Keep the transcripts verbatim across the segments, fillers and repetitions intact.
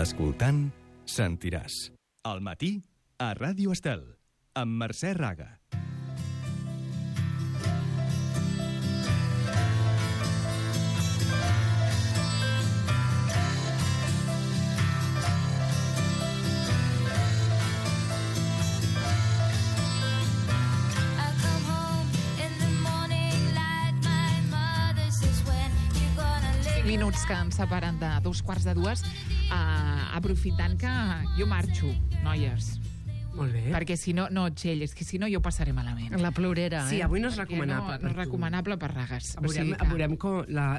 Escoltant, sentiràs. Al matí, a Ràdio Estel, amb Mercè Raga. Minuts que ens separen de dos quarts de dues, uh, aprofitant que jo marxo, noies. Molt bé. Perquè si no, no, Txell, és que si no jo passaré malament. La plorera, sí, eh? avui no és Perquè recomanable. No, no és recomanable per ragues. Veurem, o sigui que... veurem com...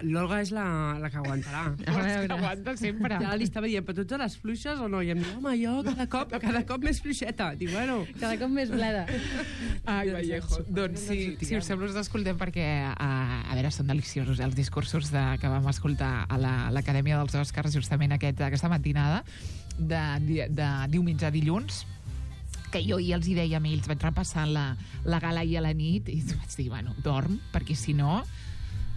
L'Olga és la, la que aguantarà. A veure, aguanta sempre. Ja li estava dient, però tots a les fluixes o no? I em diu, home, jo cada cop, cada cop més fluixeta. Dic, bueno... Cada cop més bleda. Ai, Vallejo. Doncs si, si us sembla us escoltem perquè, a, a veure, són deliciosos els discursos de, que vam escoltar a l'Acadèmia la, dels Oscars justament aquest, aquesta matinada de, de, de diumenge a dilluns, que jo hi els hi deia a ells, vaig repassar la, la gala i a la nit i vaig dir, bueno, dorm, perquè si no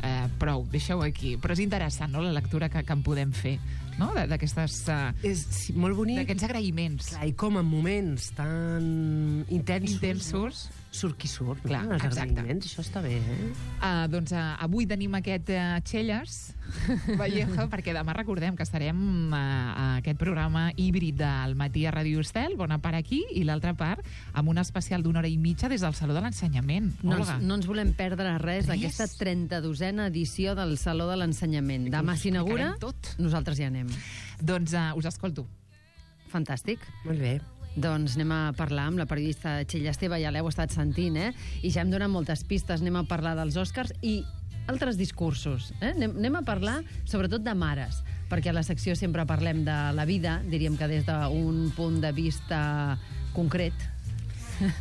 eh, prou, deixeu aquí. Però és interessant, no?, la lectura que, que en podem fer, no?, d'aquestes uh, és sí, molt bonic. D'aquests agraïments. Clar, i com en moments tan intensos, intensos no? Surt qui surt. Clar, no? Els exacte. agraïments, això està bé, eh? Uh, doncs uh, avui tenim aquest uh, Txelles Vallejo, perquè demà recordem que estarem uh, a aquest programa híbrid del matí a Ràdio Estel, bona part aquí i l'altra part amb un especial d'una hora i mitja des del Saló de l'Ensenyament. No Olga. ens, no ens volem perdre res Res. d'aquesta trenta-dosena edició del Saló de l'Ensenyament. Demà s'inaugura, tot. nosaltres ja anem. Doncs uh, us escolto. Fantàstic. Molt bé. Doncs anem a parlar amb la periodista Txell Esteve, ja l'heu estat sentint, eh? I ja hem donat moltes pistes, anem a parlar dels Oscars i altres discursos. Eh? Anem, anem a parlar sobretot de mares, perquè a la secció sempre parlem de la vida, diríem que des d'un punt de vista concret.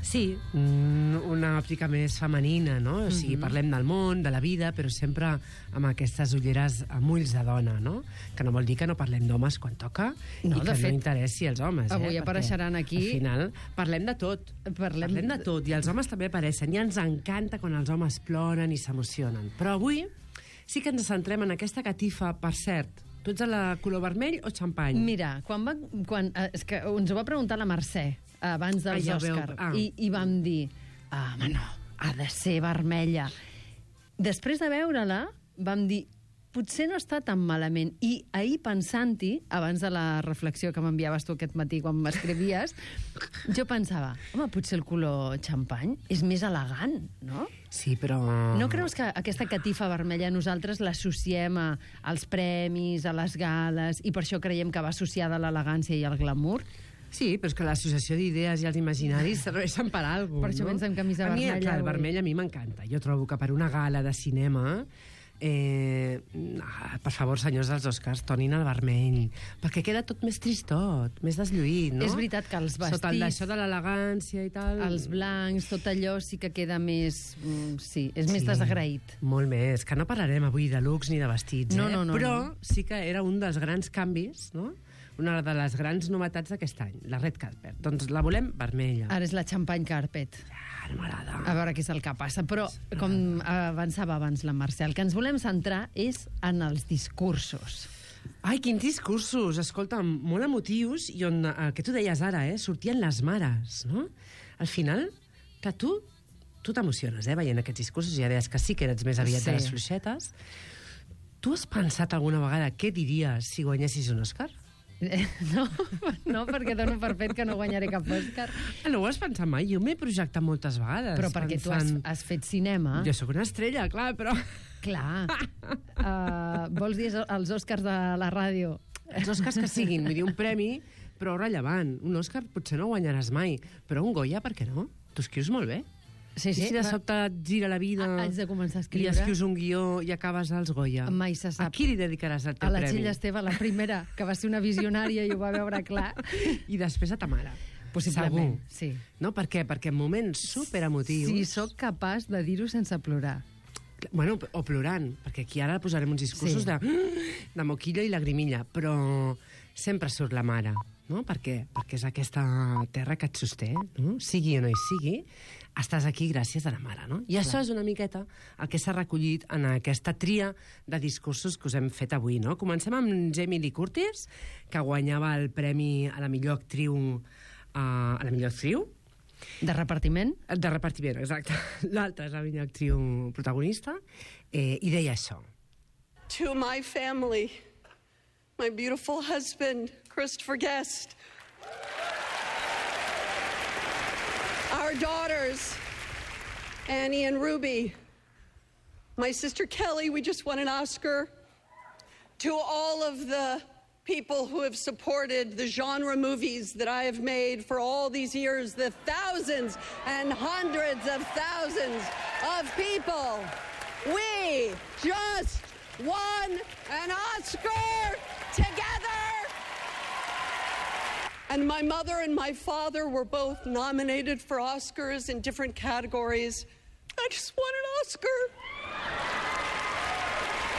Sí, una òptica més femenina, no? O sigui, Mhm. parlem del món, de la vida, però sempre amb aquestes ulleres amb ulls de dona, no? Que no vol dir que no parlem d'homes quan toca No, i que de fet, no interessi els homes. avui eh? apareixeran Perquè, aquí- Al final parlem de tot. Parlem- Parlem de tot, i els homes també apareixen. I ens encanta quan els homes ploren i s'emocionen. Però avui sí que ens centrem en aquesta catifa, per cert. Tu ets de la color vermell o xampany? Mira, quan va, quan, eh, és que ens ho va preguntar la Mercè abans dels Ah, ja ho veu. Òscar Ah. i, i vam dir, ah, home, no, ha de ser vermella. Després de veure-la vam dir, potser no està tan malament. I ahir pensant-hi, abans de la reflexió que m'enviaves tu aquest matí quan m'escrivies, jo pensava, home, potser el color xampany és més elegant, no? Sí, però... No creus que aquesta catifa vermella nosaltres l'associem a, als premis, a les gales, i per això creiem que va associada a l'elegància i al glamour? Sí, però és que l'associació d'idees i els imaginaris serveixen per alguna cosa, Per això no? vens amb camisa a mi, vermella Clar, el avui. vermell a mi m'encanta. Jo trobo que per una gala de cinema... Eh, ah, per favor, senyors dels Oscars, tornin al vermell, perquè queda tot més tristot, més deslluït, no? És veritat que els Sota el vestits, d'això de l'elegància i tal... els blancs, tot allò sí que queda més... mm, Sí, és més Sí, desagraït. Molt més, que no parlarem avui de looks ni de vestits, No, eh? no, no, però no. sí que era un dels grans canvis, no? Una de les grans novetats d'aquest any, la red carpet. Doncs la volem vermella. Ara és la champagne carpet. Ah, no m'agrada. A veure què és el que passa. Però, com avançava abans la Mercè, el que ens volem centrar és en els discursos. Ai, quins discursos, escolta, molt emotius, i on, el que tu deies ara, eh, sortien les mares, no? Al final, que tu tu t'emociones, eh, veient aquests discursos, ja deies que sí que eres més aviat Sí. de les fluixetes. Tu has pensat alguna vegada què diries si guanyessis un Òscar? Eh, No, no, perquè dono per fet que no guanyaré cap Òscar. Ah, no ho has pensat mai? Jo m'he projectat moltes vegades. Però perquè tu has, pensant... has fet cinema. Jo sóc una estrella, clar, però... Clar. Uh, vols dir els Òscars de la ràdio? Els Òscars que siguin, vull dir, un premi, però rellevant. Un Òscar potser no guanyaràs mai, però un Goya, per què no? Tu escrius molt bé. Sí, I si de sobte et gira la vida Ah, haig de començar a i escriure. escrius un guió i acabes als Goya, Mai se sap. a qui li dedicaràs el teu A la premi? Txell Esteve, la primera, que va ser una visionària i ho va veure clar. I després a ta mare. Possiblement, Segur. sí. No, per què? Perquè en moments superemotius... Si sóc capaç de dir-ho sense plorar. Bueno, o plorant, perquè aquí ara posarem uns discursos Sí. de, de moquilla i lagrimilla, però sempre surt la mare. no? Perquè, perquè és aquesta terra que et sosté, no? Sigui o no hi sigui, estàs aquí gràcies a la mare, no? I això és una miqueta el que s'ha recollit en aquesta tria de discursos que us hem fet avui, no? Comencem amb Jamie Lee Curtis, que guanyava el premi a la millor actriu, uh, a la millor actriu, De repartiment? de repartiment, exacte. L'altra és la millor actriu protagonista, eh, i deia això. To my family, my beautiful husband, Christopher Guest, our daughters, Annie and Ruby, my sister Kelly, we just won an Oscar, to all of the people who have supported the genre movies that I have made for all these years, the thousands and hundreds of thousands of people. We just won an Oscar together! And my mother and my father were both nominated for Oscars in different categories. I just won an Oscar.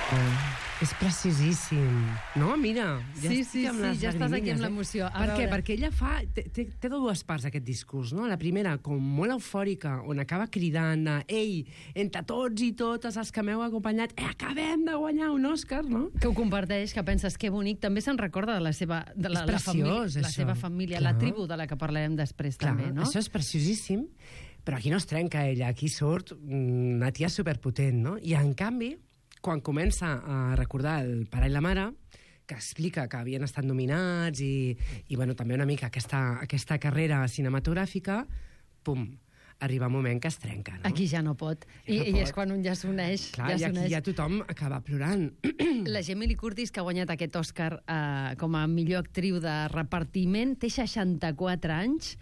Oh, és preciosíssim. No, mira. Ja Sí, estic sí, amb sí, les ja estàs aquí amb llagrimilles, l'emoció. Eh? A Per què? veure. Perquè ella fa... Té, té, té dues parts, aquest discurs, no? La primera, com molt eufòrica, on acaba cridant de «Ei, entre tots i totes els que m'heu acompanyat, eh, acabem de guanyar un Òscar», no? Que ho comparteix, que penses que bonic. També se'n recorda de la seva, de la, És la, família, preciós, la això. seva família, Clar. la tribu de la que parlarem després Clar, també, no? això és preciosíssim, però aquí no es trenca ella, aquí surt una tia superpotent, no? I en canvi, quan comença a recordar el pare i la mare, que explica que havien estat nominats i, i bueno, també una mica aquesta, aquesta carrera cinematogràfica, pum, arriba un moment que es trenca, no? Aquí ja no pot. Ja I, no I pot. és quan un ja s'uneix. Clar, ja i aquí s'uneix. ja tothom acaba plorant. La Jamie Lee Curtis, que ha guanyat aquest Òscar eh, com a millor actriu de repartiment, té seixanta-quatre anys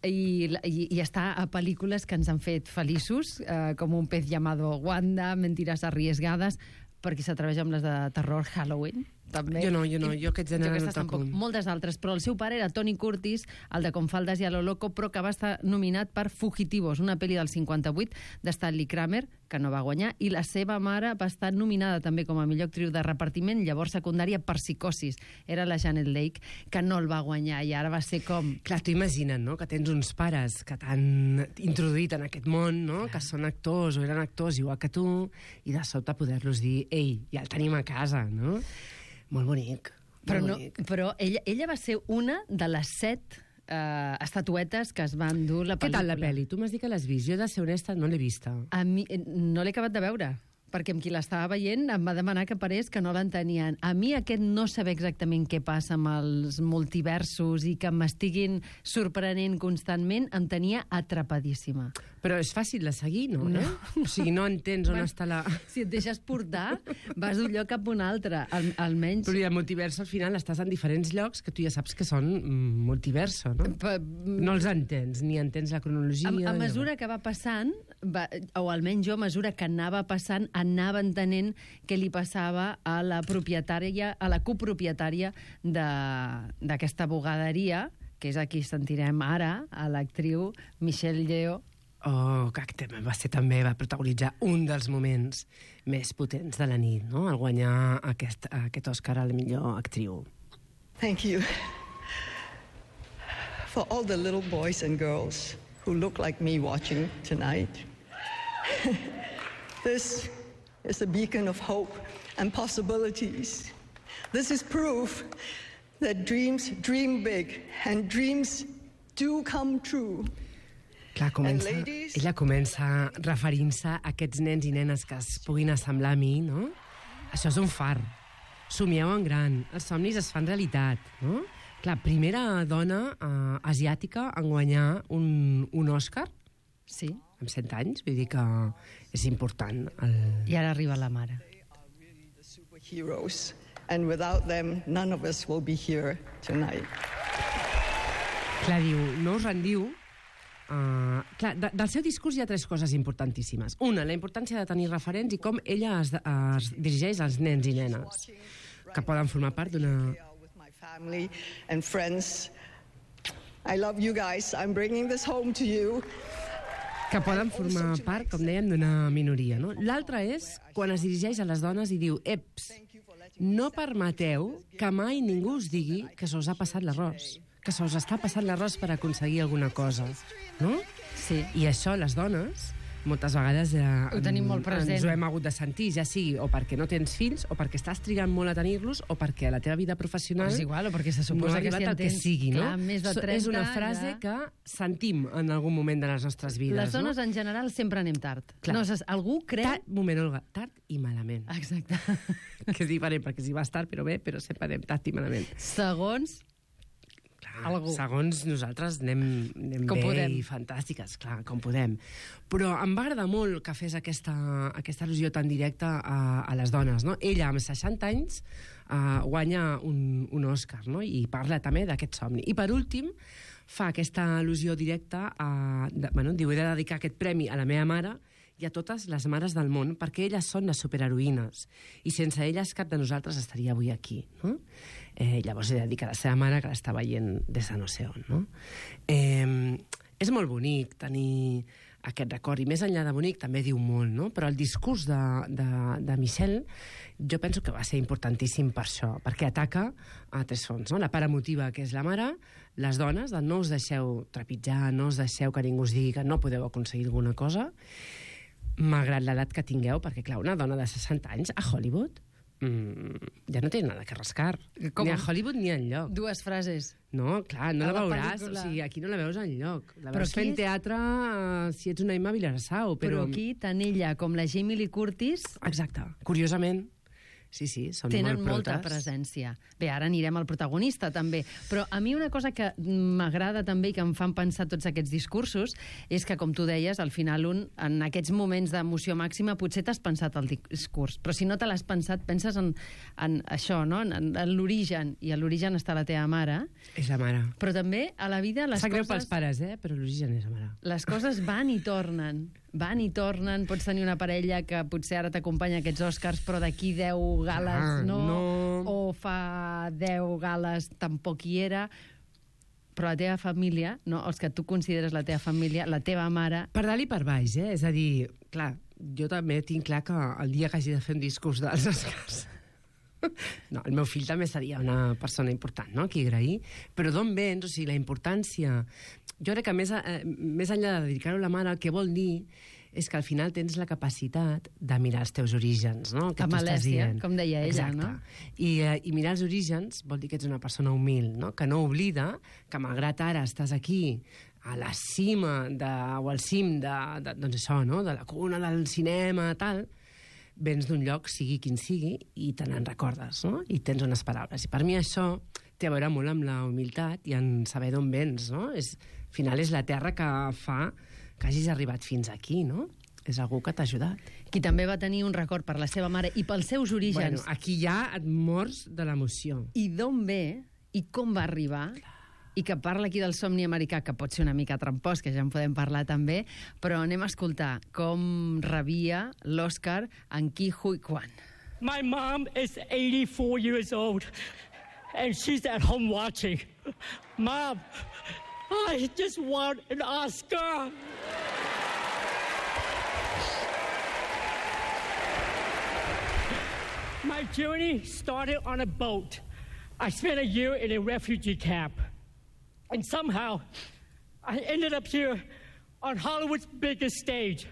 i, i, i està a pel·lícules que ens han fet feliços, eh, com Un pez llamado Wanda, Mentiras arriesgadas, perquè s'atreveix amb les de terror, Halloween, també. Jo no, jo no, jo aquest gènere Jo no aquestes toco. tampoc. Moltes altres, però el seu pare era Tony Curtis, el de Con faldas y a lo loco, però que va estar nominat per Fugitivos, una pel·li del cinquanta-vuit de Stanley Kramer, que no va guanyar, i la seva mare va estar nominada també com a millor actriu de repartiment, llavors secundària, per Psicosis. Era la Janet Leigh, que no el va guanyar, i ara va ser com... Clar, t'ho imagina't, no?, que tens uns pares que t'han introduït en aquest món, no?, que són actors o eren actors igual que tu, i de sobte poder-los dir, ei, ja el tenim a casa, no? Molt bonic. Però, molt no, bonic. però ella, ella va ser una de les set eh, estatuetes que es van dur la Què pel·lícula. tal la pel·li? Tu m'has dit que l'has vist. Jo, he de ser honesta, no l'he vista. A mi, eh, no l'he acabat de veure, perquè amb qui l'estava veient em va demanar que parés que no l'entenien. A mi aquest no saber exactament què passa amb els multiversos i que m'estiguin sorprenent constantment em tenia atrapadíssima. Però és fàcil de seguir, no? No. Eh? O sigui, no entens on Bueno, està la... Si et deixes portar, vas d'un lloc cap a un altre, al, almenys... Però i el multiverso, al final, estàs en diferents llocs que tu ja saps que són mm, multiverso, no? Pa- No els entens, ni entens la cronologia... A, a mesura que va passant, va, o almenys jo, a mesura que anava passant, anava entenent què li passava a la propietària, a la copropietària de- d'aquesta bugaderia, que és a qui sentirem ara, a l'actriu Michelle Yeoh. Oh, que també va ser també, va protagonitzar un dels moments més potents de la nit, no?, al guanyar aquest, aquest Òscar a la millor actriu. Thank you for all the little boys and girls who look like me watching tonight. This is a beacon of hope and possibilities. This is proof that dreams dream big and dreams do come true. Clar, comença, And ladies- ella comença referint-se a aquests nens i nenes que es puguin assemblar a mi, no? Això és un far. Somieu en gran. Els somnis es fan realitat, no? Clar, primera dona eh, asiàtica en guanyar un, un Òscar Sí, amb cent anys, vull dir que és important. El... i ara arriba la mare. Superheroes. And without them, none of us will be here tonight. Clar, diu, no us rendiu. Uh, clar, de, del seu discurs hi ha tres coses importantíssimes. Una, la importància de tenir referents i com ella es, es dirigeix als nens i nenes que poden formar part d'una... With my family and friends. I love you guys. I'm bringing this home to you. que poden formar part, com dèiem, d'una minoria. No? L'altra és quan es dirigeix a les dones i diu «Eps, no permeteu que mai ningú us digui que se us ha passat l'arròs». que se us està passant l'arròs per aconseguir alguna cosa, no? Sí. I això, les dones, moltes vegades eh, Ho tenim molt present. ens ho hem hagut de sentir, ja sigui o perquè no tens fills, o perquè estàs trigant molt a tenir-los, o perquè a la teva vida professional És igual, o perquè se no suposa ha que arribat si en el que tens, sigui, no? clar, més de So- trenta, és una frase ja... que sentim en algun moment de les nostres vides, Les dones no? en general sempre anem tard. Clar. No, saps, algú creu... Tard, moment, Olga, tard i malament. Exacte. Que és diferent, perquè si vas tard, però bé, però sempre anem tard i malament. Segons... Clar, Algú. segons nosaltres anem, anem Com bé podem. i fantàstiques, clar, com podem. Però em va agradar molt que fes aquesta, aquesta al·lusió tan directa a, a les dones, no? Ella, amb seixanta anys, uh, guanya un, un Òscar, no? I parla també d'aquest somni. I per últim, fa aquesta al·lusió directa a... De, bueno, diu, he de dedicar aquest premi a la meva mare i a totes les mares del món, perquè elles són les superheroïnes, i sense elles cap de nosaltres estaria avui aquí, no? Eh, llavors he de dir que la seva mare, que l'està veient des de no sé on, no? Eh, és molt bonic tenir aquest record, i més enllà de bonic també diu molt, no? Però el discurs de, de, de Michelle jo penso que va ser importantíssim per això, perquè ataca a tres fronts, no? La part emotiva, que és la mare, les dones, de no us deixeu trepitjar, no us deixeu que ningú us digui que no podeu aconseguir alguna cosa, malgrat l'edat que tingueu, perquè, clar, una dona de seixanta anys a Hollywood mm, ja no té nada que rascar. Com? Ni a Hollywood ni enlloc. Dues frases. No, clar, no A la la veuràs. pel·lícula. O sigui, aquí no la veus enlloc. La Però veus aquí fent és- teatre eh, si ets una Emma Vilarsau. Però... Però... aquí, tant ella com la Jamie Lee Curtis Exacte. Curiosament, sí, sí, són tenen molt molta protes. presència. Bé, ara anirem al protagonista, també. Però a mi una cosa que m'agrada també i que em fan pensar tots aquests discursos és que, com tu deies, al final un, en aquests moments d'emoció màxima, potser t'has pensat el discurs, però si no te l'has pensat, penses en, en això, no? en, en, en l'origen, i a l'origen està la teva mare, És la mare. però també a la vida les Sap greu pels coses... pares, eh? Però l'origen és la mare. Les coses van i tornen. Van i tornen. Pots tenir una parella que potser ara t'acompanya a aquests Oscars, però d'aquí deu gales Ah, no, no. o fa deu gales tampoc hi era. Però la teva família, no, els que tu consideres la teva família, la teva mare... Per dalt i per baix, eh? És a dir, clar, jo també tinc clar que el dia que hagi de fer un discurs dels Oscars... No, el meu fill també seria una persona important, no?, qui agrair. Però d'on vens? O sigui, la importància... Jo crec que més, eh, més enllà de dedicar-ho a la mare, el que vol dir és que al final tens la capacitat de mirar els teus orígens, no?, que Amb tu estàs Alèssia, dient. com deia ella, Exacte. no? I, eh, I mirar els orígens vol dir que ets una persona humil, no?, que no oblida que malgrat ara estàs aquí a la cima de, o al cim de, de, doncs això, no?, de la cuna del cinema, tal, vens d'un lloc, sigui quin sigui, i te n'en recordes, no?, i tens unes paraules. I per mi això té a veure molt amb la humilitat i en saber d'on vens, no? És, al final és la terra que fa que hagis arribat fins aquí, no? És algú que t'ha ajudat. Qui també va tenir un record per la seva mare i pels seus orígens. Bueno, aquí ja et mors de l'emoció. I d'on ve i com va arribar, i que parla aquí del somni americà, que pot ser una mica trampós, que ja en podem parlar també, però anem a escoltar com rebia l'Òscar en Ke Huy Quan. My mom is eighty-four years old, and she's at home watching. Mom, I just won an Oscar. My journey started on a boat. I spent a year in a refugee camp. And somehow, I ended up here on Hollywood's biggest stage.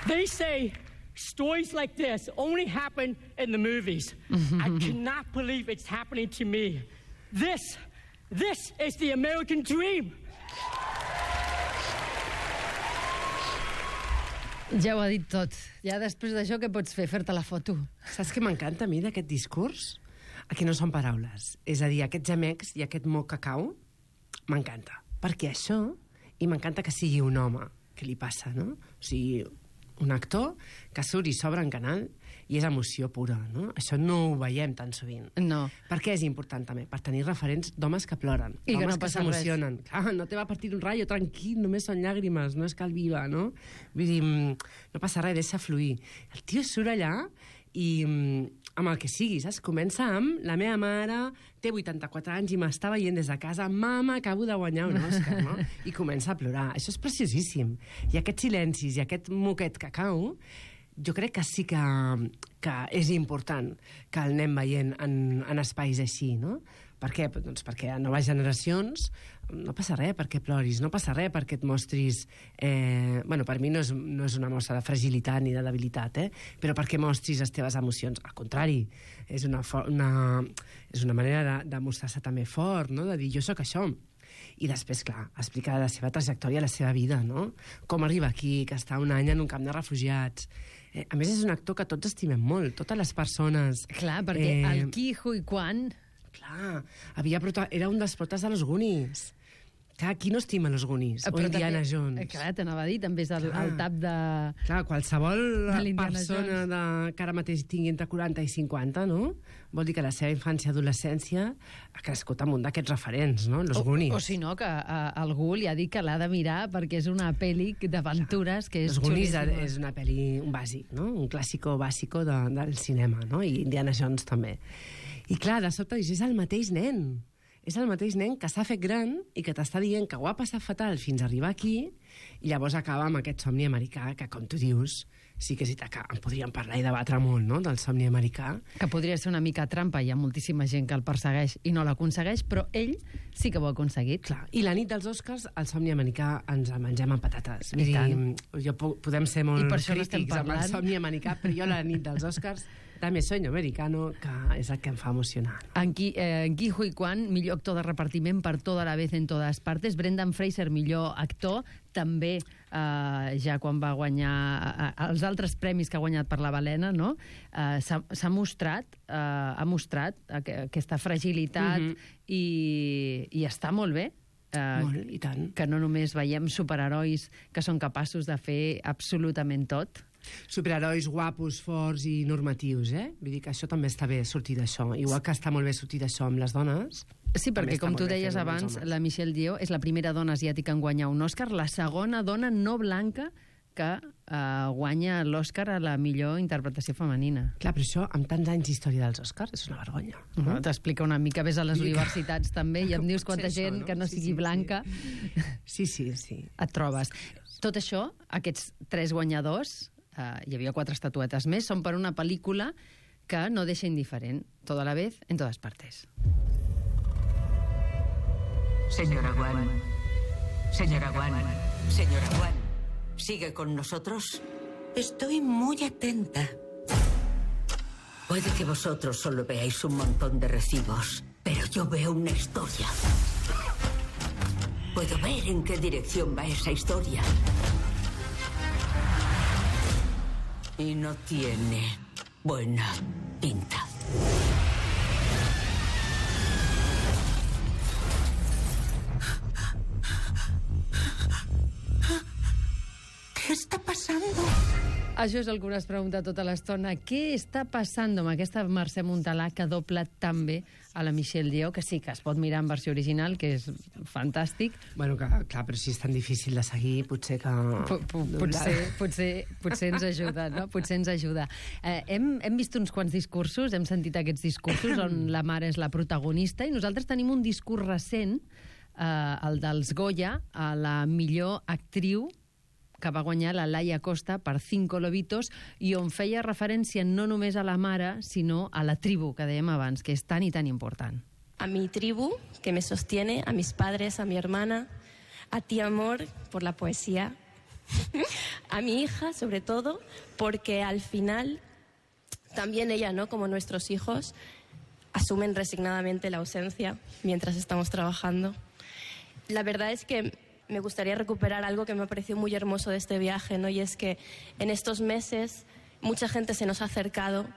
They say stories like this only happen in the movies. I cannot believe it's happening to me. This, this is the American dream. Ja ho ha dit tot. Ja després d'això, què pots fer? Fer-te la foto. Saps què m'encanta a mi d'aquest discurs? Aquí no són paraules. És a dir, aquests gemecs i aquest moc que cau, m'encanta. Perquè això, i m'encanta que sigui un home, que li passa, no? O sigui, un actor que surt i s'obre en canal i és emoció pura, no? Això no ho veiem tan sovint. No. Per què és important també? Per tenir referents d'homes que ploren, I que d'homes no que passa s'emocionen. Clar, no te va partir un rayo, tranquil, només són llàgrimes, no és cal viva, no? Vull dir, mm, no passa res, deixa fluir. El tio surt allà i mm, amb el que sigui, saps? Comença amb la meva mare té vuitanta-quatre anys i m'està veient des de casa, mama, acabo de guanyar un Òscar, no? I comença a plorar. Això és preciosíssim. I aquests silencis i aquest moquet que cau, jo crec que sí que, que és important que el anem veient en, en espais així, no? Per què? Doncs perquè a noves generacions no passa res perquè ploris, no passa res perquè et mostris... Eh, bueno, per mi no és, no és una mostra de fragilitat ni de debilitat, eh? Però perquè mostris les teves emocions. Al contrari, és una, una, és una manera de, de mostrar-se també fort, no? De dir, jo sóc això. I després, clar, explicar la seva trajectòria, la seva vida, no? Com arriba aquí, que està un any en un camp de refugiats. Eh, a més, és un actor que tots estimem molt, totes les persones. Clar, perquè eh... el Ke Huy Quan... Clar, havia prota... era un dels protes de los Goonies. Clar, qui no estima los Goonies? O Indiana també, Jones? Clar, t'anava a dir, també és el, el tap de... Clar, qualsevol de persona de, que ara mateix tingui entre quaranta i cinquanta, no? Vol dir que la seva infància i adolescència ha crescut amb un d'aquests referents, no? Los o, Goonies. O si no, que a, algú li ha dit que l'ha de mirar perquè és una pel·li d'aventures que és Los Goonies xulíssima. és una pel·li, un bàsic, no? Un clàssico bàsico de, del cinema, no? I Indiana Jones també. I clar, de sobte dius, és el mateix nen. És el mateix nen que s'ha fet gran i que t'està dient que ho ha passat fatal fins a arribar aquí i llavors acaba amb aquest somni americà que, com tu dius, sí que sí que en podríem parlar i debatre molt, no?, del somni americà. Que podria ser una mica trampa, hi ha moltíssima gent que el persegueix i no l'aconsegueix, però ell sí que ho ha aconseguit. Clar. I la nit dels Oscars, el somni americà ens el mengem amb patates. I tant. Jo, podem ser molt crítics amb parlant. el somni americà, però jo la nit dels Oscars també Sueño Americano, que és el que em fa emocionar. En Ke eh, Huy Quan, millor actor de repartiment per Toda la vez en todas partes. Brendan Fraser, millor actor, també eh, ja quan va guanyar eh, els altres premis que ha guanyat per La balena, no? Eh, s'ha mostrat, eh, ha mostrat aquesta fragilitat mm-hmm. i, i està molt bé. Eh, molt, i tant. Que no només veiem superherois que són capaços de fer absolutament tot. Superherois guapos, forts i normatius, eh? Vull dir que això també està bé sortir d'això. Igual que està molt bé sortir d'això amb les dones. Sí, perquè com tu deies abans, la Michelle Yeoh és la primera dona asiàtica en guanyar un Òscar, la segona dona no blanca que eh, guanya l'Òscar a la millor interpretació femenina. Clar, però això, amb tants anys d'història dels Òscars, és una vergonya. Uh -huh. T'explica una mica, ves a les universitats també i em dius quanta gent això, no? que no sí, sigui sí, blanca sí, sí, sí. et trobes. Tot això, aquests tres guanyadors, eh, hi havia quatre estatuetes més, són per una pel·lícula que no deixa indiferent. Toda la vez, en todas partes. Señora Wan, señora Wan, señora Wan, ¿sigue con nosotros? Estoy muy atenta. Puede que vosotros solo veáis un montón de recibos, pero yo veo una historia. Puedo ver en qué dirección va esa historia. Y no tiene buena pinta. ¿Qué está pasando? Això és el que us pregunta tota l'estona. Què està passant amb aquesta Mercè Montalà que dobla tan bé a la Michelle Yeoh, que sí que es pot mirar en versió original, que és fantàstic. Bueno, que, clar, però si és tan difícil de seguir, potser que... P -p potser, potser, potser ens ajuda, no? Potser ens ajuda. Eh, hem, hem vist uns quants discursos, hem sentit aquests discursos on la mare és la protagonista, i nosaltres tenim un discurs recent, eh, el dels Goya, a la millor actriu, que va guanyar la Laia Costa per Cinco Lobitos, i on feia referència no només a la mare, sinó a la tribu, que dèiem abans, que és tan i tan important. A mi tribu, que me sostiene, a mis padres, a mi hermana, a ti, amor, por la poesía, a mi hija, sobre todo, porque al final también ella, ¿no?, como nuestros hijos, asumen resignadamente la ausencia mientras estamos trabajando. La verdad es que me gustaría recuperar algo que me ha parecido muy hermoso de este viaje, ¿no? Y es que en estos meses mucha gente se nos ha acercado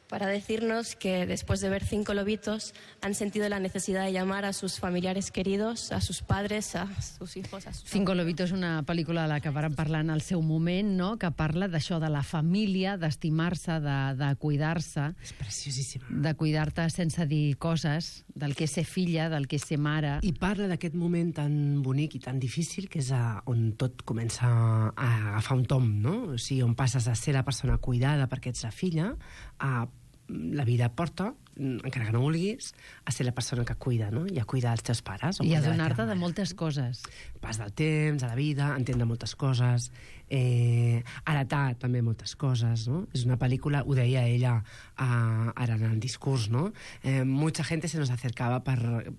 para decirnos que después de ver Cinco Lobitos han sentido la necesidad de llamar a sus familiares queridos, a sus padres, a sus hijos, a sus... Cinco Lobitos és una pel·lícula de la que vàrem parlar en el seu moment, no?, que parla d'això, de la família, d'estimar-se, de, de cuidar-se. És preciosíssima. De cuidar-te sense dir coses, del que és ser filla, del que és ser mare. I parla d'aquest moment tan bonic i tan difícil, que és a, on tot comença a agafar un tom, no? O sigui, on passes a ser la persona cuidada perquè ets la filla, a la vida et porta, encara que no vulguis, a ser la persona que cuida, no? I a cuidar els teus pares. I a donar-te de moltes coses. Pas del temps, a la vida, entendre moltes coses, eh, heretar també moltes coses, no? És una pel·lícula, ho deia ella eh, ara en el discurs, no? Eh, mucha gente se nos acercava per,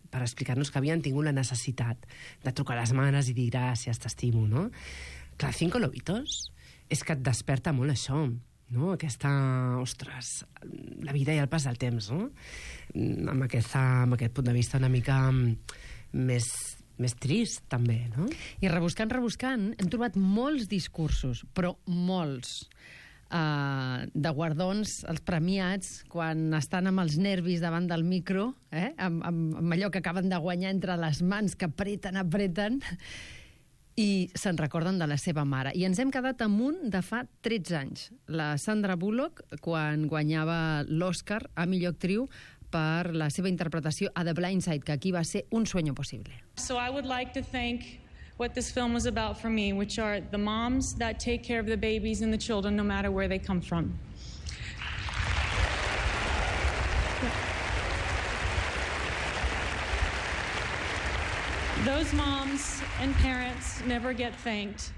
per explicar-nos que havien tingut la necessitat de trucar a les mares i dir gràcies, t'estimo, no? Clar, Cinco Lobitos és que et desperta molt això, no? Aquesta, ostres, la vida i el pas del temps, no? Amb, aquesta, amb aquest punt de vista una mica més, més trist, també, no? I rebuscant, rebuscant, hem trobat molts discursos, però molts, uh, de guardons, els premiats, quan estan amb els nervis davant del micro, eh? amb, amb, amb allò que acaben de guanyar entre les mans, que apreten, apreten, i se'n recorden de la seva mare. I ens hem quedat amb un de fa tretze anys. La Sandra Bullock, quan guanyava l'Oscar a millor actriu per la seva interpretació a The Blind Side, que aquí va ser un sueño posible. So I would like to thank what this film was about for me, which are the moms that take care of the babies and the children no matter where they come from. Those moms and parents never get thanked.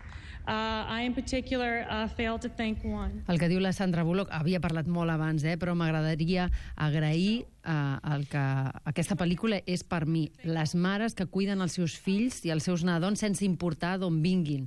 Uh, I, in particular, uh, fail to thank one. El que diu la Sandra Bullock, havia parlat molt abans, eh, però m'agradaria agrair uh, el que aquesta pel·lícula és per mi. Les mares que cuiden els seus fills i els seus nadons sense importar d'on vinguin.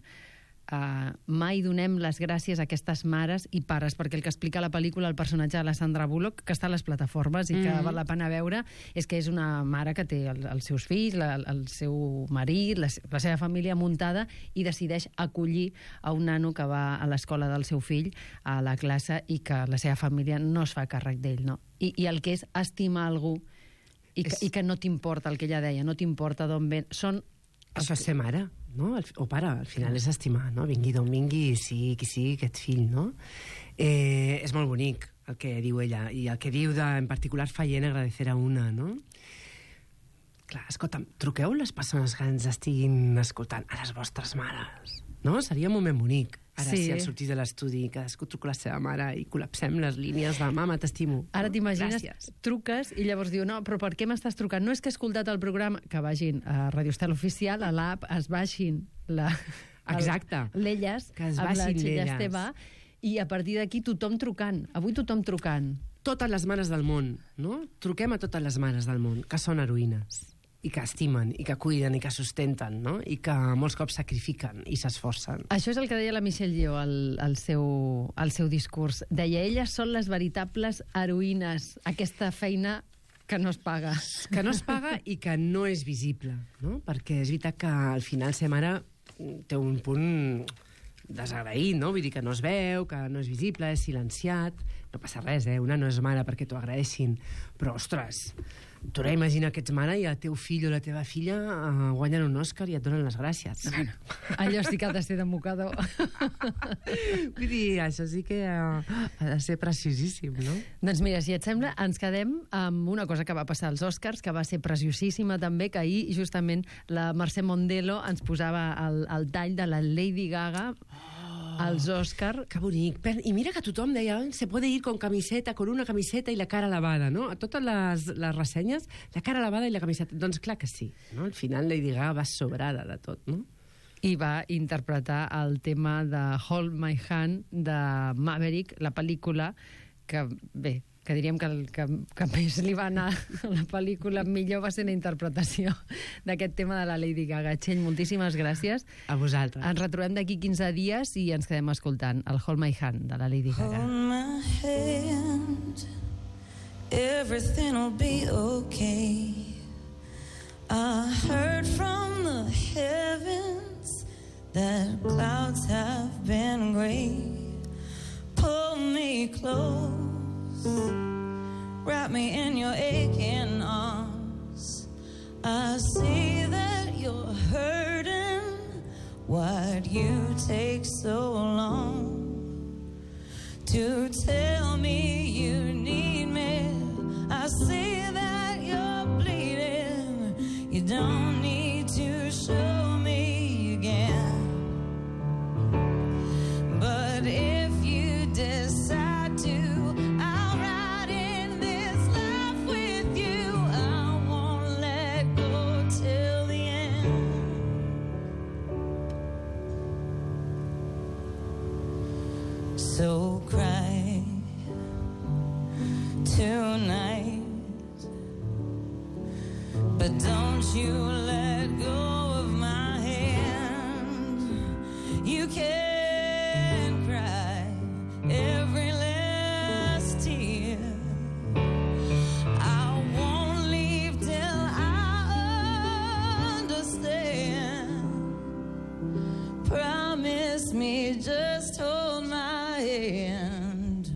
Uh, mai donem les gràcies a aquestes mares i pares, perquè el que explica la pel·lícula el personatge de la Sandra Bullock, que està a les plataformes i que mm-hmm. val la pena veure, és que és una mare que té el, els seus fills, la, el seu marit, la, la seva família muntada, i decideix acollir a un nano que va a l'escola del seu fill, a la classe, i que la seva família no es fa càrrec d'ell, no? I, i el que és estimar algú i que, és... i que no t'importa, el que ella deia, no t'importa d'on ven, són... Això és ser mare, no? O pare, al final és estimar, no? Vingui d'on vingui, sigui qui sigui aquest fill, no? Eh, és molt bonic el que diu ella, i el que diu de, en particular Fayenne, agradecer a una, no? Clar, escolta'm, truqueu les persones que ens estiguin escoltant a les vostres mares, no? Seria un moment bonic. Ara, sí. Si al sortir de l'estudi cadascú truca la seva mare i col·lapsem les línies de mama, t'estimo. Ara t'imagines, gràcies. Truques i llavors diu, no, però per què m'estàs trucant? No és que he escoltat el programa, que vagin a Radio Estel Oficial, a l'app, es baixin la... Exacte. l'Elles, que es amb la baixin Txella l'Elles. Esteve, i a partir d'aquí tothom trucant. Avui tothom trucant. Totes les mares del món, no? Truquem a totes les mares del món, que són heroïnes, i que estimen, i que cuiden, i que sustenten, no? I que molts cops sacrifiquen i s'esforcen. Això és el que deia la Michelle Yeoh al, al, seu, al seu discurs. Deia, elles són les veritables heroïnes, aquesta feina que no es paga. Que no es paga i que no és visible, no? Perquè és veritat que al final ser mare té un punt desagraït, no? Vull dir que no es veu, que no és visible, és silenciat. No passa res, eh? Una no és mare perquè t'ho agraeixin. Però, ostres, tu ara imagina que ets mare i el teu fill o la teva filla uh, guanyen un Òscar i et donen les gràcies. Bueno, allò sí que ha de ser de mocador. Vull dir, això sí que uh, ha de ser preciosíssim, no? Doncs mira, si et sembla, ens quedem amb una cosa que va passar als Oscars, que va ser preciosíssima també, que ahir justament la Mercè Mondelo ens posava el, el tall de la Lady Gaga als Òscar. Que bonic. I mira que tothom deia, se puede ir con camiseta, con una camiseta i la cara lavada, no? A totes les, les ressenyes, la cara lavada i la camiseta. Doncs clar que sí, no? Al final Lady Gaga va sobrada de tot, no? I va interpretar el tema de Hold My Hand de Maverick, la pel·lícula, que bé, que diríem que el que, que més li va anar a la pel·lícula millor va ser la interpretació d'aquest tema de la Lady Gaga. Txell, moltíssimes gràcies. A vosaltres. Ens retrobem d'aquí quinze dies i ens quedem escoltant el Hold My Hand de la Lady Gaga. Hold my hand, everything'll be okay. I heard from the heavens that clouds have been gray. Pull me close, wrap me in your aching arms. I see that you're hurting. Why'd you take so long to tell me you need me? I see that you're bleeding. You don't need to show me again. But if you decide to, I'll ride in tonight. But don't you let go of my hand. You can cry every last tear. I won't leave till I understand. Promise me, just hold my hand.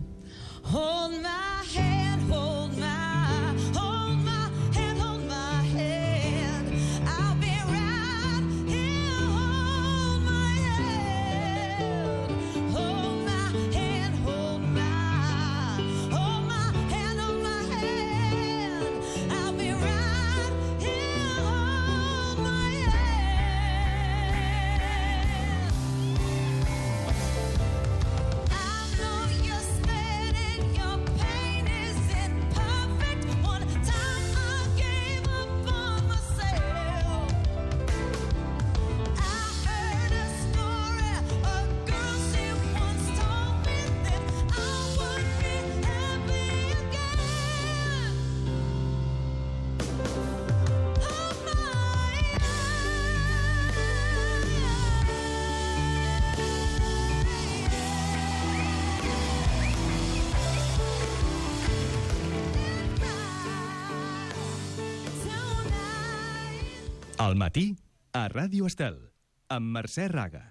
Hold my hand, hold my, hold my hand, hold my hand. I'll be right here, hold my hand. Hold my hand, hold my, hold my hand, hold my hand. I'll be right here, hold my hand. I know you're scared and your pain isn't perfect. One time I gave up on myself. I heard a story, a girl she once told me that I would be happy again. Hold my Al matí, a Ràdio Estel, amb Mercè Raga.